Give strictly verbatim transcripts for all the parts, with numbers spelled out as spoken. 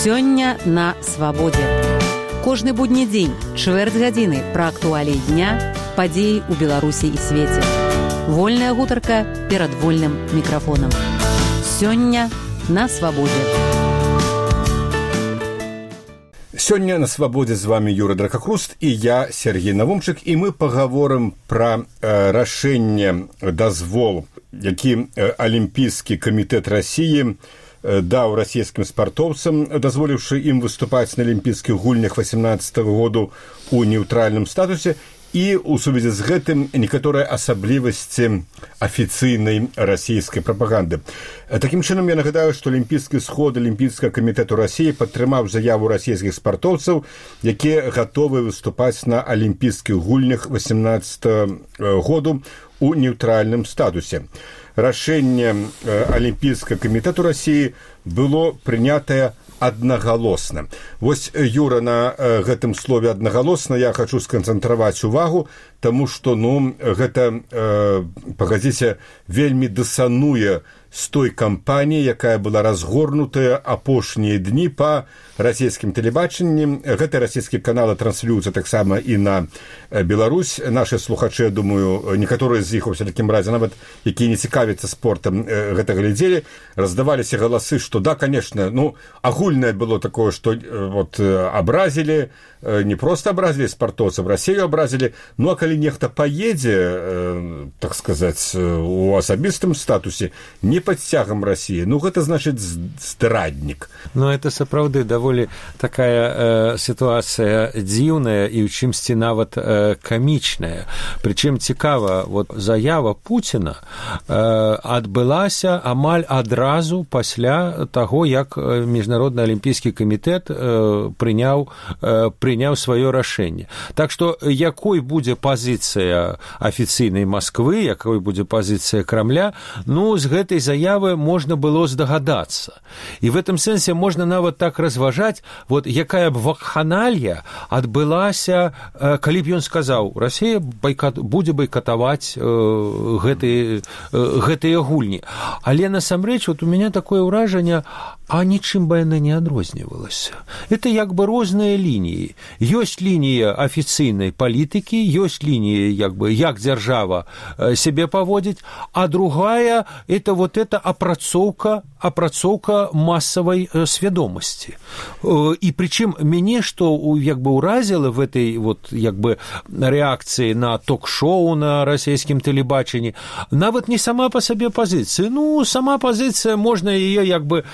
Сёння на свабодзе. Кожны будні дзень, чвэрць гадзіны пра актуаліі дня, падзеі ў Беларусі і свеце. Вольная гутарка перад вольным мікрафонам. Сёння на свабодзе. Сёння на свабодзе з вами Юра Дракахруст і я, Сергей Навумчык, і мы пагаворым пра э, рашэнне дазвол, які э, Алімпійскі камітэт Расіі даў расійскім спартоўцам, дазволіўшы ім выступаць на алімпійскіх гульнях васемнаццатага году ў нейтральным статусе, і ў сувязі з гэтым некаторыя асаблівасці афіцыйнай расійскай прапаганды. Такім чынам, я нагадаю, што Алімпійскі сход Алімпійскага камітэту Расіі падтрымаў заяву расійскіх спартоўцаў, якія гатовы выступаць на алімпійскіх гульнях васемнаццатага году ў нейтральным статусе. Рашэнне Алімпійскага камітэту Расіі было прынятае аднагалосна. Вось, Юра, на гэтым слове аднагалосна я хачу сканцэнтраваць увагу, таму што, ну, гэта, э, пагадзіце, вельмі дысануе з той кампаніяй, якая была разгорнутая апошнія дні па расійскім тэлебачанні. Гэты расійскі каналы транслююцца таксама і на Беларусь. Нашы слухачы, я думаю, некаторыя з іх, у всякім разе, нават якія не цікавяцца спортам, гэта глядзелі, раздаваліся галасы, што да, конечно, ну, агульнае было такое, што вот абразілі, не проста абразілі спартоўцаў, Расію абразілі, ну, а калі нехта паедзе, так сказаць, у асабістым статусе, не под сцягам Расіі, ну, гэта значыць здраднік. Ну, это сапраўды даволі такая э, сітуацыя дзіўная і ў чымсьці нават э, камічная. Прычым цікава, вот заява Пуціна э, адбылася амаль адразу пасля таго, як Міжнародны алімпійскі камітэт э, прыняў, э, прыняў сваё рашэнне. Так што якой будзе пазіцыя афіцыйнай Масквы, якой будзе пазіцыя Крамля, ну, з гэтай заявы можна было здагадацца. І в этом сэнсе можна нават так разважаць, вот якая б вакханалія адбылася, э, калі б ён сказаў, Расія байкат, будзе байкатаваць э, гэтыя, э, гэтыя гульні. Але насамрэч, вот у меня такое ўражанне, а нічым бы яна не адрознівалася. Это як бы розныя лініі. Ёсць лінія афіцыйнай палітыкі, ёсць лінія, як бы, як дзяржава сябе паводзіць, а другая – это вот эта апрацоўка, апрацоўка массавай свядомасці. І прычым мяне, што як бы ўразіла в этой вот, як бы, рэакцыі на ток-шоу на расійскім тэлебачанні, нават не сама па сабе пазіцыя. Ну, сама пазіцыя, можна яе, як бы,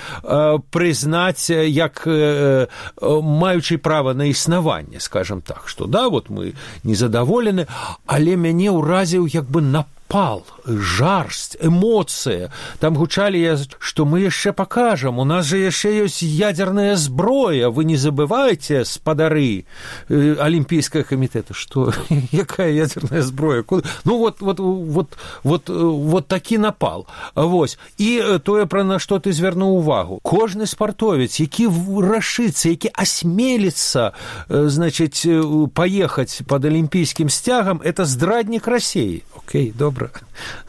прызнаць як э, маючы права на існаванне, скажем так, што да, вот мы незадаволены, але мяне ўразіў як бы напал, жарсць, эмоцыя. Там гучалі, што мы яшчэ пакажам, у нас же яшчэ ёсць ядерная зброя, вы не забывайце, спадары э, Алімпійскага камітэта. Што? Якая ядерная зброя? Ну, вот, вот, вот, вот, вот такі напал. Вось. І тое, пра на што ты звярнуў увагу. Кожны спартовец, які рашыцца, які асмеліцца, значыць, паехаць пад алімпійскім сцягам, это здраднік Расіі. Окей, добра.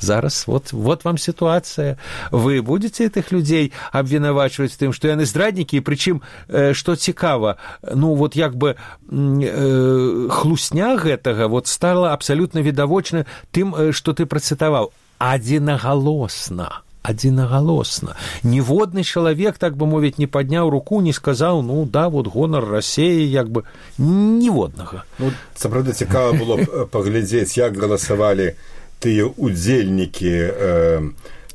Зараз вот, вот вам ситуация. Вы будете этих людей обвинувачивать тым, што яны здраднікі, і прычым, э, што цікава, ну, вот як бы э, хлусня гэтага вот стала абсалютна відавочна тым, э, што ты працытаваў. Адзінагалосна. Адзінагалосна. Ніводны чалавек, так бы мовіць, не падняў руку, не сказаў, ну, да, вот гонар Расіі, як бы, ніводнага. Ну, сапраўды цікава было паглядзець, як галасавалі тыя удзельнікі э,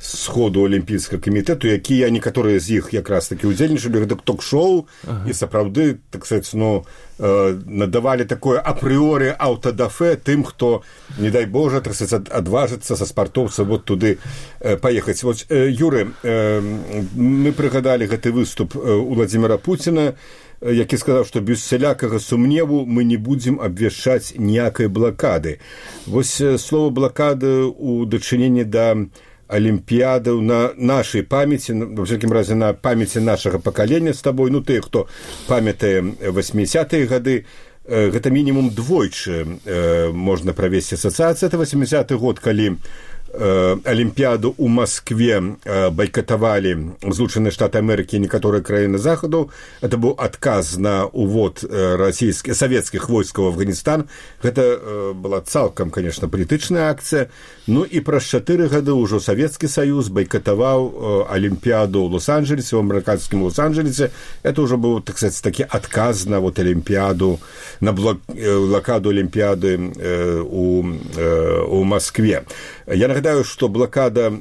сходу Алімпійскага камітэту, якія некаторыя з іх якраз такі удзельнічалі, гэта ток-шоу, ага. І сапраўды, так сказаць, ну, э, надавалі такое апрыоры аўтадафе тым, хто, не дай Божа, так сказаць, адважыцца са спартоўца вот туды э, паехаць. Вот, э, Юры, э, мы прыгадалі гэты выступ Уладзіміра Пуціна, які сказаў, што без усялякага сумневу мы не будзем абвяшчаць ніякай блакады. Вось слова блакады ў дачыненні да алімпіядаў на нашай памяці, ва всякім разе на памяці нашага пакалення з табой, ну тыя, хто памятае восьмідзесятыя гады, гэта мінімум двойчы можна правесці асацыяцыю. Это восьмідзесяты год, калі Олимпиаду у Москве бойкотовали Злученные Штаты Америки и некоторые краины Заходу. Это был отказ на увод российских, советских войск в Афганистан. Это была цалкам, конечно, политичная акция. Ну и про четыре года уже Советский Союз бойкотовал Олимпиаду в Лос-Анджелесе, в американском Лос-Анджелесе. Это уже был, так сказать, таки отказ на вот Олимпиаду, на блокаду Олимпиады у, у Москве. Я нагадаю, что блокада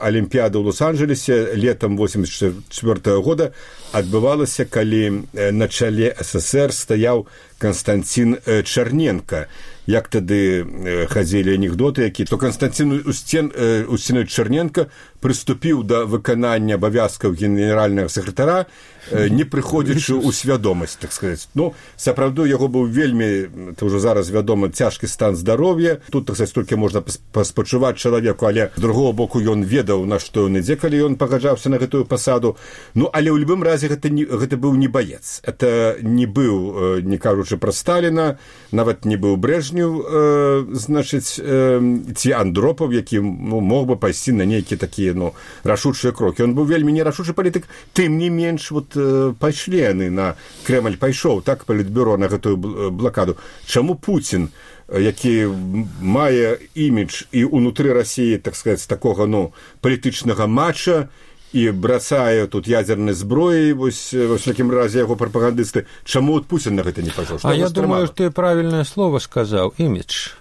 Олимпиады в Лос-Анджелесе летом восемьдесят четвёртого года отбывалась, когда на чале СССР стоял Константин Черненко. Як тады хадзілі анекдоты, які, то Константин Устинович Черненко прыступіў да выканання абавязкаў генеральнага сакратара, не прыходзячы ў свядомасць, так сказаць. Ну, сапраўды, яго быў вельмі, это ўжо зараз вядома, цяжкі стан здароўя. Тут, так сказаць, толькі можна паспачуваць чалавеку, але з другого боку ён ведаў, на што ён ідзе, калі ён пагаджаўся на гэтую пасаду. Ну, але ў любым разе гэта, не, гэта быў не баец. Это не быў, не кажучы пра Сталіна, нават не быў Брежнев, э, значыць, э, ці Андропаў, які, ну, мог бы пайсці на нейкія такія, ну, рашучыя крокі. Ён быў вельмі нерашучы палітык, тым не менш, вот, э, пайшлі яны на Крэмль, пайшоў, так, палітбюро на гэтую блакаду. Чаму Пуцін, які мае імідж і ўнутры Расіі, так сказаць, такога, ну, палітычнага матча, і брацае тут ядзернай зброі, вось, во всякім разе, яго прапагандысты. Чаму от Путин на гэта не пайшоў? А я думаю, ты правильное слово сказал, имидж.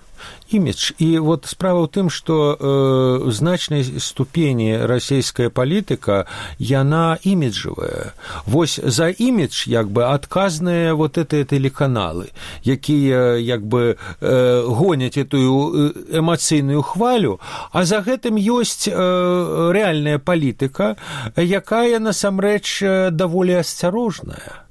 Имидж. И вот справа ў тым, што э, значнай ступені расійская палітыка, яна іміджавая. Вось за імідж, як бы, адказныя вот гэтыя тэлеканалы, якія, як бы, э, гоняць этую эмацыйную хвалю, а за гэтым ёсць э, рэальная палітыка, якая, насамрэч, даволі асцярожная.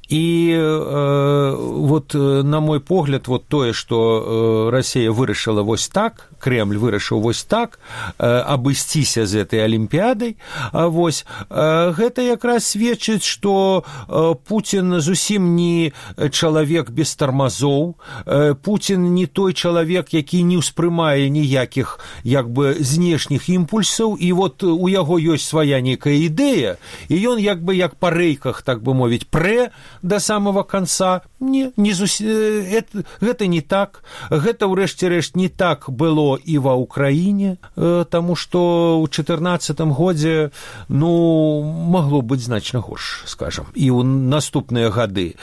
И э, вот на мой погляд, вот тое, что э, Россия вырашыла вось так, Кремль вырашыў вось так э, абысціся з этой Олимпиадой, а вось э, гэта якраз сведчыць, што э, Путин зусім не чалавек без тармазоў, э, Путин не той чалавек, які не ўспрымае ніякіх, як бы, знешніх імпульсаў, і вот у яго ёсць свая нейкая ідэя, і ён, як бы, як па рэйках, так бы мовіць, прэ до самого конца. Не, не зус... это, гэта не так. Гэта, ўрэшце рэшт, не так было і ва Украіне, таму што ў чатырнаццатым годзе, ну, магло быць значна горш, скажем, і ў наступныя гады.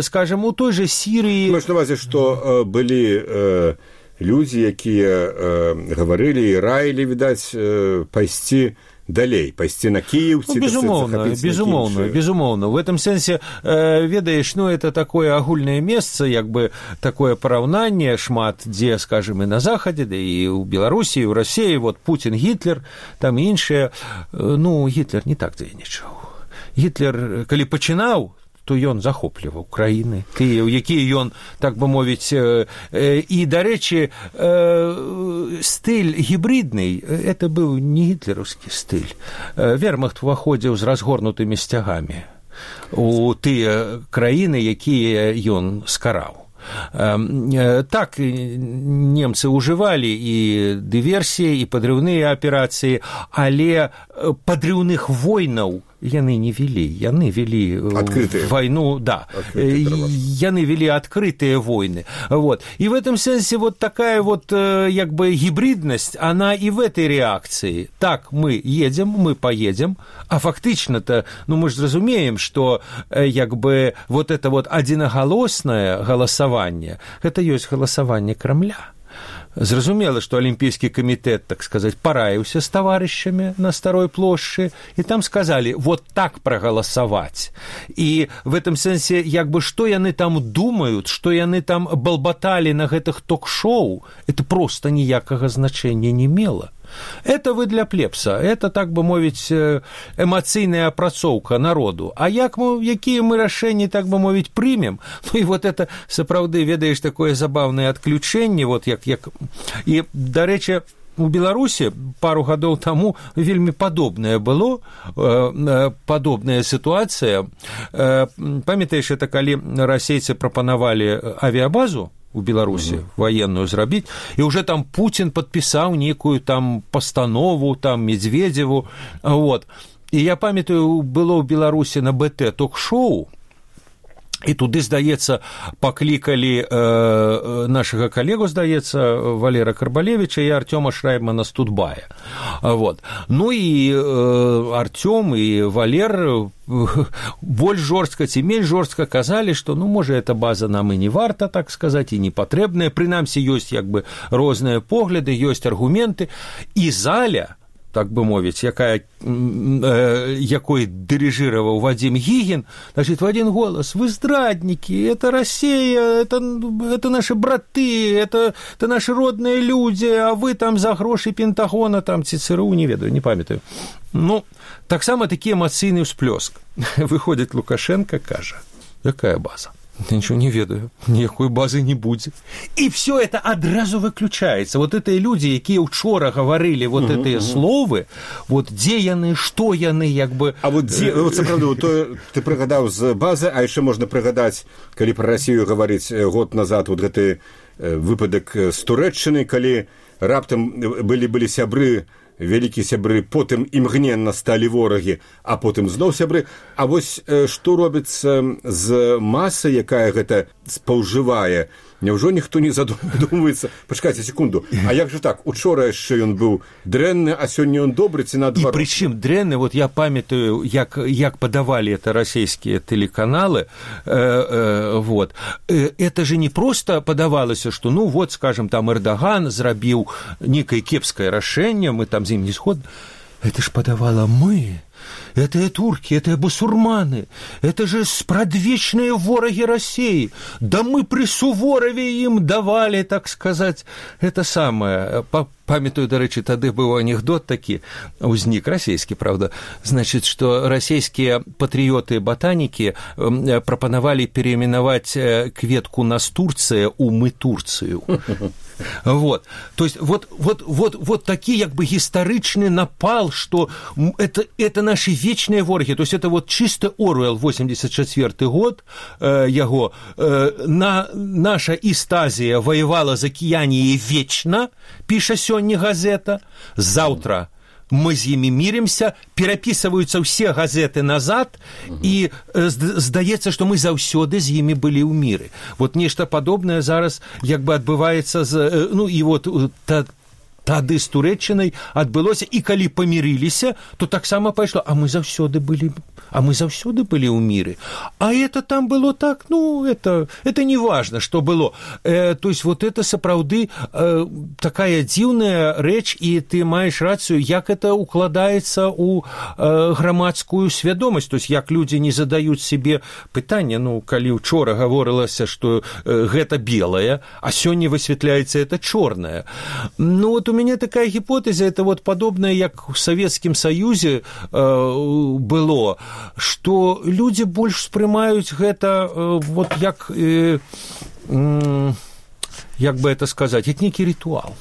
Скажем, у той же Сірыі... Можна на увазе, што былі э, людзі, якія э, гаварылі і раілі, відаць, э, пайсці далей, пайсці на Киев, ну, безумоўно, безумоўно, безумоўно. В этом сэнсе, э, ведаеш, ну, это такое агульнае месца, як бы такое параўнанне шмат, дзе, скажем, і на Захадзе, да і ў Беларусі, і ў Расіі, вот Путин, Гітлер, там іншыя. Ну, Гітлер не так дзейнічаў. Гітлер, калі пачынаў, то ён захопліваў краіны, Киев, які ён, так бы мовіць, э, э, і, дарэчы, э, стыль гібридны, это быў не гітлераўскі стыль. Э, Вермахт уваходзіў з разгорнутымі сцягамі у тыя краіны, якія ён скараў. Так, немцы ўжывалі і дыверсіі, і падрыўныя аперацыі, але падрыўных войнаў яны не вели, яны вели открытые. Войну, да, яны вели открытые войны, вот, и в этом смысле вот такая вот, как бы, гибридность, она и в этой реакции, так, мы едем, мы поедем, а фактично-то, ну, мы же разумеем, что, как бы, вот это вот одиноголосное голосование, это есть голосование Кремля. Зразумела, што Алімпійскі камітэт, так сказаць, параіўся з таварышамі на Старой плошчы, і там сказалі, вот так прагаласаваць. І в этом сэнсе, як бы, што яны там думаюць, што яны там балбаталі на гэтых ток-шоу, это проста ніякага значэння не мела. Это вы для плебса, это, так бы мовіць, эмацыйная апрацоўка народу. А як мы, якія мы рашэнні, так бы мовіць, прымем? Ну і вот это, сапраўды, ведаеш, такое забаўнае адключэнне, вот як, як... І, дарэчы, у Беларусі пару гадоў таму вельмі падобнае было, падобная сітуацыя. Памятаеш, это калі расейцы прапанавалі авіябазу у Беларусі военную зрабіць, і уже там Путин падпісаў некую там пастанову, там Медведеву, вот. І я памятаю, было ў Беларусі на БТ ток-шоу, і туды, здаецца, паклікалі э, нашага калегу, здаецца, Валера Карбалевіча і Артёма Шраймана з Тутбая. Вот. Ну і э, Артём і Валер больш жорстка ці менш жорстка казалі, што, ну, можа, эта база нам і не варта, так сказаць, і не патрэбная. Прынамсі, ёсць як бы розныя погляды, ёсць аргументы. І заля, так бы мовіць, якая, э, якой дирижировал Вадим Гигин, значит, в один голос: вы здрадники, это Россия, это, это наши браты, это, это наши родные люди, а вы там за гроши Пентагона, там ЦРУ, не ведаю, не памятаю. Ну, так само такі эмоцыйны ўсплёск. Выходит Лукашенко, кажа: якая база? Я ничего не ведаю, никакой базы не будет. И все это одразу выключается. Вот эти люди, якія учора говорили вот угу, эти угу. словы, вот где яны, что яны, як бы... А вот, где, вот сапраўду, то ты прыгадаў з базы, а яшчэ можна прыгадаць, калі про Россию говорить год назад, вот гэты выпадак з Турэччыны, калі раптам былі, былі сябры, вялікія сябры, потым імгненна сталі ворагі, а потым зноў сябры. А вось што робіцца з масай, якая гэта спаўжывае? Няўжо ніхто не задумваецца? Пачакайце секунду. А як же так? Учора яшчэ ён быў дрэнны, а сёння ён добры ці наадварот? І прычым дрэнны, вот я памятаю, як, як падавалі это расійскія тэлеканалы, э, э, вот. Э, это же не просто падавалася, што, ну, вот, скажем, там Эрдаган зрабіў некае кепскае рашэнне, мы там з ім не згодны. Это ж падавала мы. Это турки, это басурманы, это же спрадвечные вораги России. Да мы при Суворове им давали, так сказать, это самое. Памятаю, до речі, тады быў анекдот такі, узнік расійскі, правда, значит, что российские патриоты-ботаники прапанавалі переименовать кветку Настурция у мы Турцию. Вот. То есть вот, вот, вот, вот такі як бы гістарычны напал, что это, это наши вечные вораги. То есть это вот чисто Оруэлл, восемьдесят четвёрты год, э, яго, э, на, наша Истазия воевала за Кіяніі вечна, піша сёння газета, завтра мы з імі міримся, перапісваюцца ўсе газеты назад, угу. і здаецца, што мы заўсёды з імі былі ў міры. Вот нешта падобнае зараз як бы адбываецца з, ну, і вот та, тады з Турэччынай адбылося, і калі памірыліся, то таксама пайшло, а мы заўсёды былі, а мы заўсёды былі ў міры. А это там было так, ну, это, это не важно, что было. Э, то есть вот это сапраўды э, такая дзіўная рэч, і ты маеш рацыю, як это укладаецца ў э, грамадскую свядомасць. То есть як людзі не задаюць себе пытанне, ну, калі учора гаворылася, што э, гэта белае, а сёння высвятляецца это чорнае. Ну, вот у меня такая гипотеза, это вот подобное, как в Советском Союзе э, было, что люди больше воспринимают это э, вот как, э, э, как бы это сказать, это некий ритуал.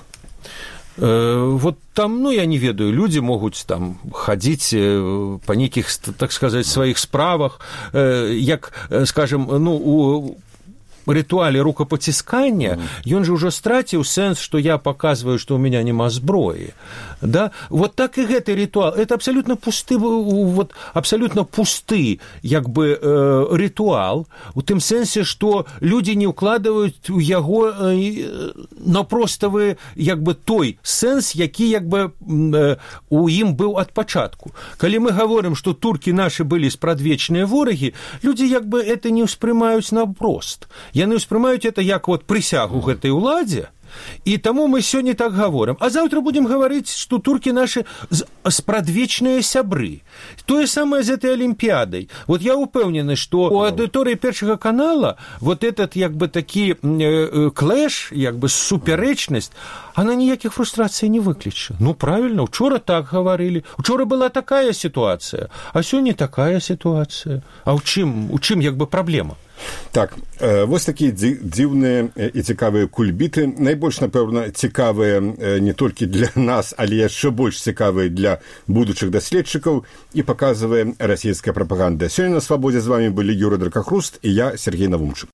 Э, вот там, ну, я не ведаю, люди могут там ходить э, по неких, так сказать, своих справах, э, як, скажем, ну, у ритуале рукопотискания, mm-hmm. он же уже стратил сенс, что я показываю, что у меня нема зброи. Да? Вот так и этот ритуал. Это абсолютно пусты, вот, абсолютно пусты, як бы, э, ритуал, у тым сенсе, что люди не укладывают у яго э, на простовы, як бы, той сенс, які, як бы, э, у ім быў ад пачатку. Калі мы говорим, что турки наши были спрадвечныя вораги, люди, як бы, это не успрымаюць напрост. Яны ўспрымаюць это як вот прысягу гэтай уладзе, і таму мы сёння так гаворым. А заўтра будем гаварыць, што туркі нашы спрадвечныя сябры. Тое самае з этой Олимпиадой. Вот я упэўнены, што у аўдыторыі Першага канала вот этот як бы такі э, клэш, як бы супярэчнасць, она ніякіх фрустрацый не выкліча. Ну, правильно, учора так гаварылі. Учора была такая ситуация, а сёння такая ситуация. А ў чым, у чым як бы праблема? Так, вось такія дзіўныя і цікавыя кульбіты. Найбольш, напэўна, цікавыя не толькі для нас, але яшчэ больш цікавыя для будучых даследчыкаў і паказвае расійская прапаганда. Сёння на Свабодзе з вамі былі Юрый Дракахруст і я, Сергей Навумчык.